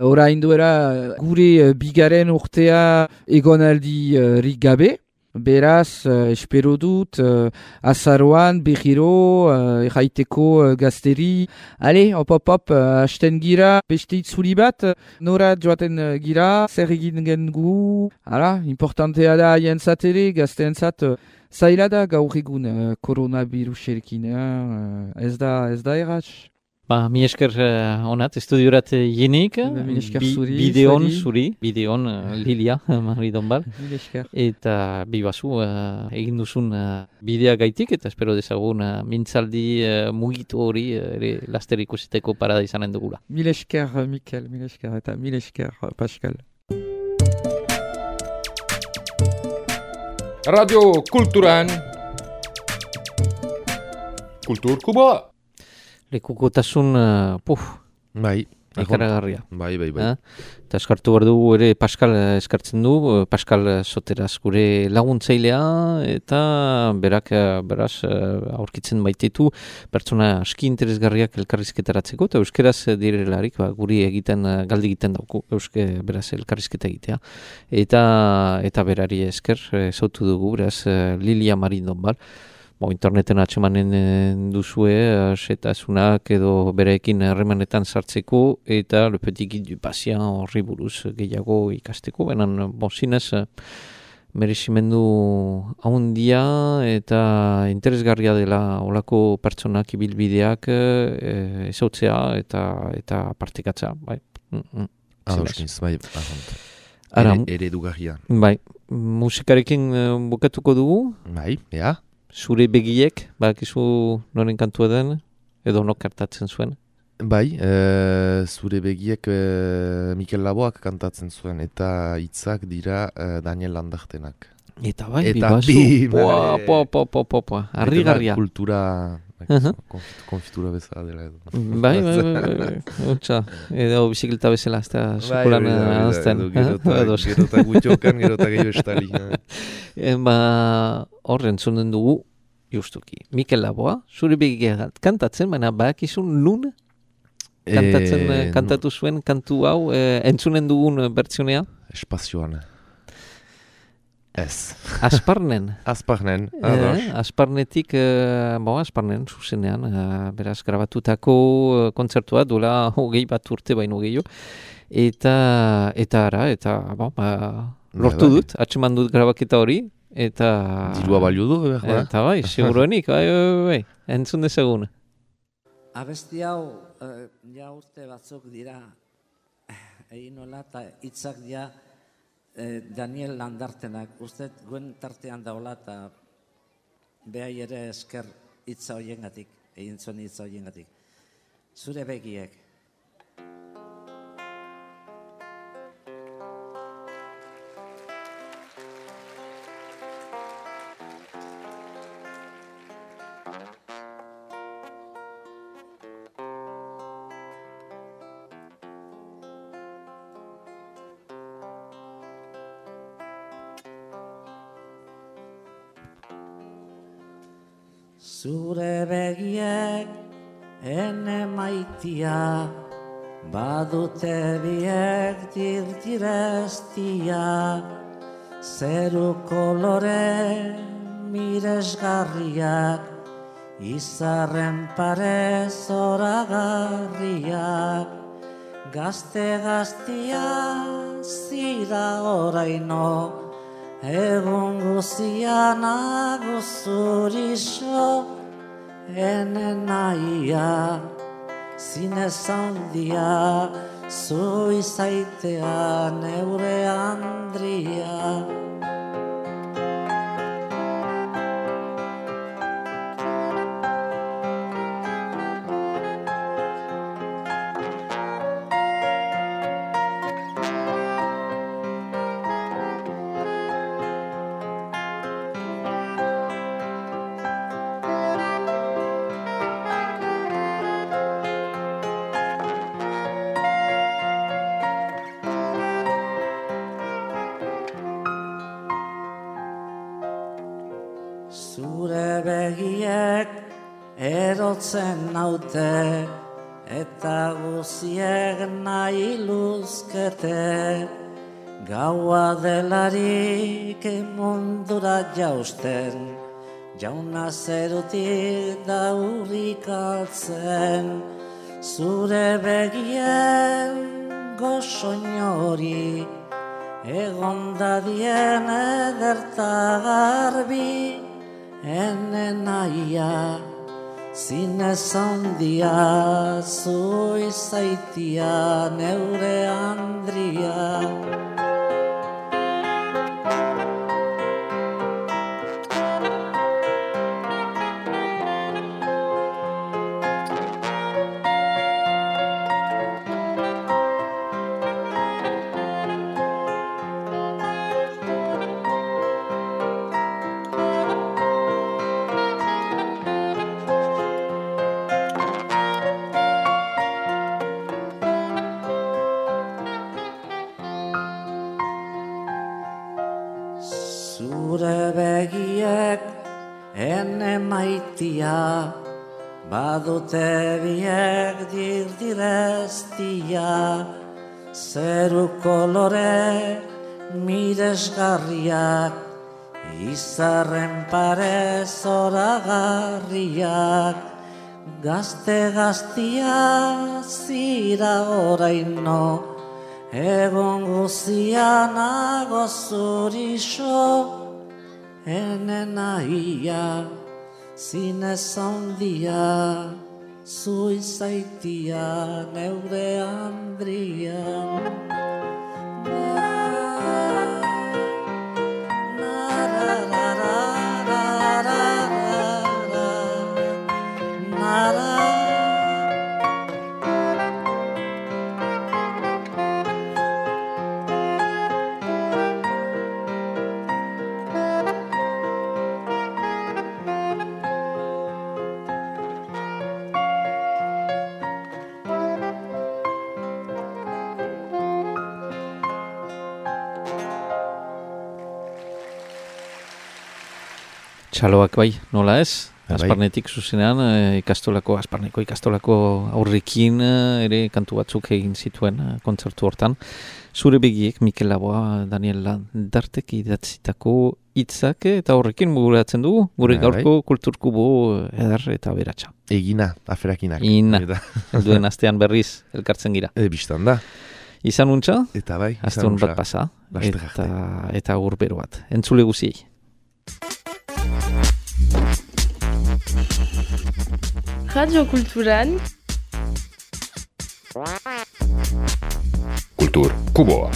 Orain duera gure uh, bigaren urtea egonaldi uh, rik gabe. Beraz, uh, espero dut, uh, azaroan, berriro, uh, erraiteko uh, gazteri. Ale, hop, hop, hop, uh, hasten gira, beste itzuli bat, uh, nora joaten uh, gira, zer egin gengu. Hala, importantea da haien ere, gazteentzat, uh, zaila da gaur egun uh, koronaviruserekin, uh, ez da, ez da erratz. Ba, mi esker uh, onat, estudiorat jenik, bi, bideon zuri, bideon uh, Lilia, Mari Donbal, eta bibazu uh, egin duzun uh, bidea gaitik, eta espero dezagun uh, mintzaldi uh, mugitu hori uh, ere laster ikusiteko parada izanen dugula. Mil esker, Mikel, mil esker, eta mil esker, Pascal. Radio Kulturan Kultur Kuba. Lekukotasun, uh, puf, bai, ikaragarria. Bai, bai, bai. Eh? Eta eskartu behar dugu ere Pascal eskartzen du, Pascal Soteraz gure laguntzailea, eta berak, beraz, aurkitzen baititu, pertsona aski interesgarriak elkarrizketaratzeko, eta euskeraz direlarik, ba, guri egiten, galdi egiten dauku, euske, beraz, elkarrizketa egitea. Eta, eta berari esker, zautu dugu, beraz, Lilia Marin Donbal. Bo, interneten atxemanen duzue, setasunak edo bereekin harremanetan sartzeko, eta Le Petit Guide du Patient horri buruz gehiago ikasteko. Benan, bo, zinez, merezimendu haundia eta interesgarria dela olako pertsonak ibilbideak e, ezautzea eta, eta partikatza. Bai. Mm -mm. Adoskiniz, bai, ahont. Eredugarria. Bai, musikarekin bukatuko dugu. Bai, ea. Zure begiek, bakizu noren kantua den, edo nok kantatzen zuen? Bai, e, zure begiek e, Mikel Laboak kantatzen zuen, eta hitzak dira e, Daniel Landartenak. Eta bai, Eta bibazu, bi, poa, bai. poa, poa, poa, poa, poa, harrigarria. Kultura, Uh-huh. konfit- konfitura bezala dela edo. Bai, bai, bai, bai, hotxa, edo bizikleta bezala, ez da sekulan hori da, hori da, anazten. edo Gero eta- gero eta gutxokan, gero eta gehiago estali. Eh, Ba, horren zunden dugu, justuki. Mikel Laboa, zure begia kantatzen, baina bakizun nun kantatzen, Eh, eh, kantatu zuen kantu hau, eh, entzunen dugun eh, bertsionea? Espazioan. Ez. Asparnen. Asparnen, ados. Eh, Asparnetik, eh, bo, Asparnen, zuzenean, eh, beraz, grabatutako eh, kontzertua duela hogei bat urte baino gehiago. Eta, eta ara, eta, bo, ba, lortu bai. dut, atseman dut grabaketa hori, eta... Dirua balio du, behar da. Eta bai, seguruenik, bai, bai, bai, bai, entzun dezagun. Abesti hau, eh, ja urte batzuk dira, egin nola eta hitzak ja eh, Daniel Landartenak, uste guen tartean daula eta behai ere esker hitza hoiengatik, egin zuen hitza hoiengatik. Zure begiek. Zure begiek ene maitia, badute biek dirdirestia, zeru kolore miresgarriak, izarren pare zoragarriak, gazte gaztia zira oraino, egun guzian aguzurixo, ene naia, zinez handia, zu izaitea neure Andria. Zure begiek erotzen naute, eta guziek nahi luzkete, gaua delarik mundura jausten, jauna zerutik daurik altzen, zure begien gozoinori, egon dadien ederta garbi, ene naia, zinez handia, zu izaitia neure Andria. Zure begiek ene maitia, badute biek dirdirestia, zeru kolore miresgarriak, izarren pare zoragarriak, gazte gaztia zira oraino, egon guzian agozurixo, ene naia, zinez handia, zu izaitia neure Andria. Txaloak bai, nola ez? Bai. Asparnetik zuzenean, eh, ikastolako, Asparneko ikastolako aurrekin eh, ere kantu batzuk egin zituen eh, kontzertu hortan. Zure begiek, Mikel Laboa, Daniel Landartek idatzitako hitzak eta horrekin muguratzen dugu, gure Bai, gaurko kulturkubo edar eta beratxa. Egina, aferakinak. Ina, duen astean berriz elkartzen gira. E, biztan da. Izan untxa, Eta bai, izan astun untxa. bat pasa, Laster eta, arte. eta urbero bat. Entzule guziei. Radio Kulturan Kultur Kuboa.